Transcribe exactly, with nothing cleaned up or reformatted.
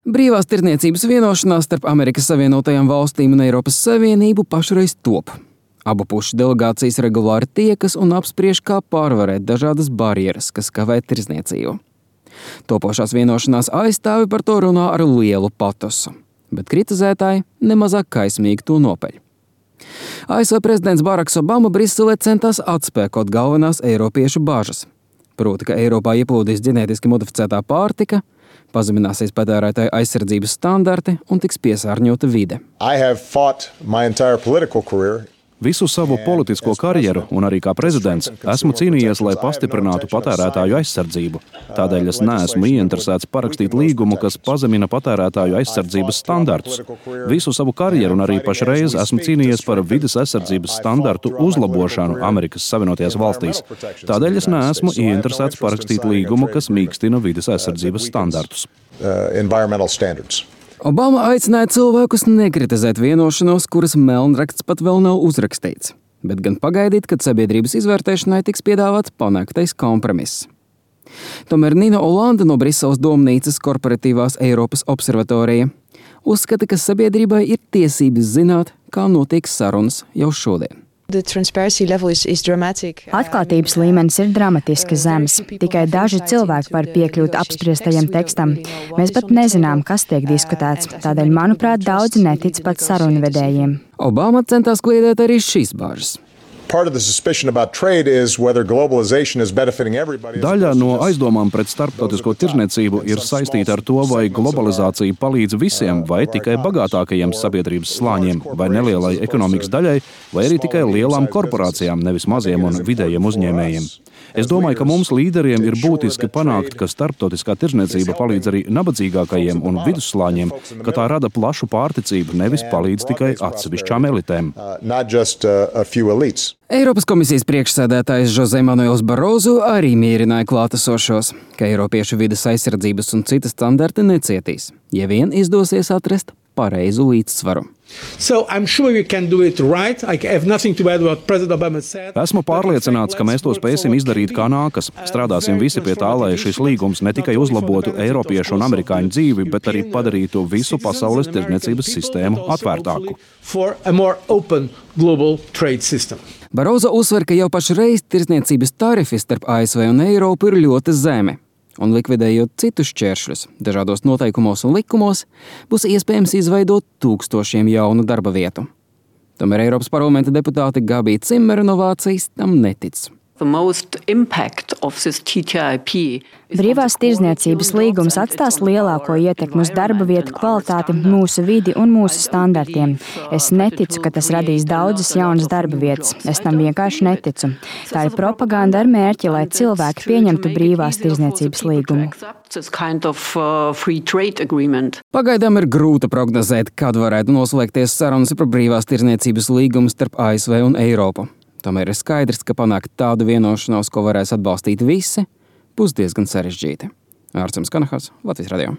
Brīvās tirdzniecības vienošanās starp Amerikas Savienotajām valstīm un Eiropas Savienību pašreiz top. Abu pušu delegācijas regulāri tiekas un apspriež, kā pārvarēt dažādas barjeras, kas kavē tirdzniecību. Topošās vienošanās aizstāvi par to runā ar lielu patosu, bet kritizētāji nemazāk kaismīgi to nopeļ. A S V prezidents Baraks Obama Briselē centās atspēkot galvenās eiropiešu bažas. Proti, ka Eiropā ieplūdīs ģenētiski modificētā pārtika, pazemināsies patērētāju aizsardzības standarti un tiks piesārņota vide. Visu savu politisko karjeru un arī kā prezidents esmu cīnījies, lai pastiprinātu patērētāju aizsardzību. Tādēļ es neesmu ieinteresēts parakstīt līgumu, kas pazemina patērētāju aizsardzības standartus. Visu savu karjeru un arī pašreiz esmu cīnījies par vides aizsardzības standartu uzlabošanu Amerikas Savienotajās valstīs. Tādēļ es neesmu ieinteresēts parakstīt līgumu, kas mīkstina vides aizsardzības standartus. Obama aicināja cilvēkus nekritizēt vienošanos, kuras melnraksts pat vēl nav uzrakstīts, bet gan pagaidīt, kad sabiedrības izvērtēšanai tiks piedāvāts panāktais kompromiss. Tomēr Nina Olanda no Briseles domnīcas korporatīvās Eiropas observatorija uzskata, ka sabiedrībai ir tiesības zināt, kā notiek sarunas jau šodien. Atklātības līmenis ir dramatiski zems. Tikai daži cilvēki var piekļūt apspriestajam tekstam. Mēs pat nezinām, kas tiek diskutēts. Tādēļ, manuprāt, daudzi netic pat sarunvedējiem. Obama centās kliedēt arī šīs bāžas. Daļa no aizdomām pret starptautisko tirdzniecību ir saistīta ar to, vai globalizācija palīdz visiem vai tikai bagātākajiem sabiedrības slāņiem, vai nelielai ekonomikas daļai, vai arī tikai lielām korporācijām, nevis maziem un vidējiem uzņēmējiem. Es domāju, ka mums līderiem ir būtiski panākt, ka starptautiskā tirdzniecība palīdz arī nabadzīgākajiem un vidusslāņiem, ka tā rada plašu pārticību, nevis palīdz tikai atsevišķām elitēm. Eiropas komisijas priekšsēdētājs José Manuels Barroso arī mierināja klātesošos, ka eiropiešu vides aizsardzības un citas standarti necietīs, ja vien izdosies atrast pareizu līdzsvaru. So I'm sure we can do it right. I have nothing to add what President Obama said. Esmu pārliecināts, ka mēs to spēsim izdarīt kā nākas. Strādāsim visi pie tā, lai šis līgums ne tikai uzlabotu eiropiešu un amerikāņu dzīvi, bet arī padarītu visu pasaules tirdzniecības sistēmu atvērtāku. Barroso uzsver, ka jau pašreiz tirdzniecības tarifi starp A S V un Eiropu ir ļoti zemi. Un likvidējot citus šķēršļus dažādos noteikumos un likumos, būs iespējams izveidot tūkstošiem jaunu darba vietu. Tomēr Eiropas parlamenta deputāte Gabija Cimera no Vācijas tam netic. Brīvās tirdzniecības līgums atstās lielāko ietekmi uz darba vietu kvalitāti, mūsu vidi un mūsu standartiem. Es neticu, ka tas radīs daudzas jaunas darba vietas. Es tam vienkārši neticu. Tā ir propaganda ar mērķi, lai cilvēki pieņemtu brīvās tirdzniecības līgumu. Pagaidām ir grūti prognozēt, kad varētu noslēgties sarunas par brīvās tirdzniecības līgumu starp A S V un Eiropu. Tomēr ir skaidrs, ka panākt tādu vienošanos, ko varēs atbalstīt visi, būs diezgan sarežģīti. Ārcams Kanahas, Latvijas radio.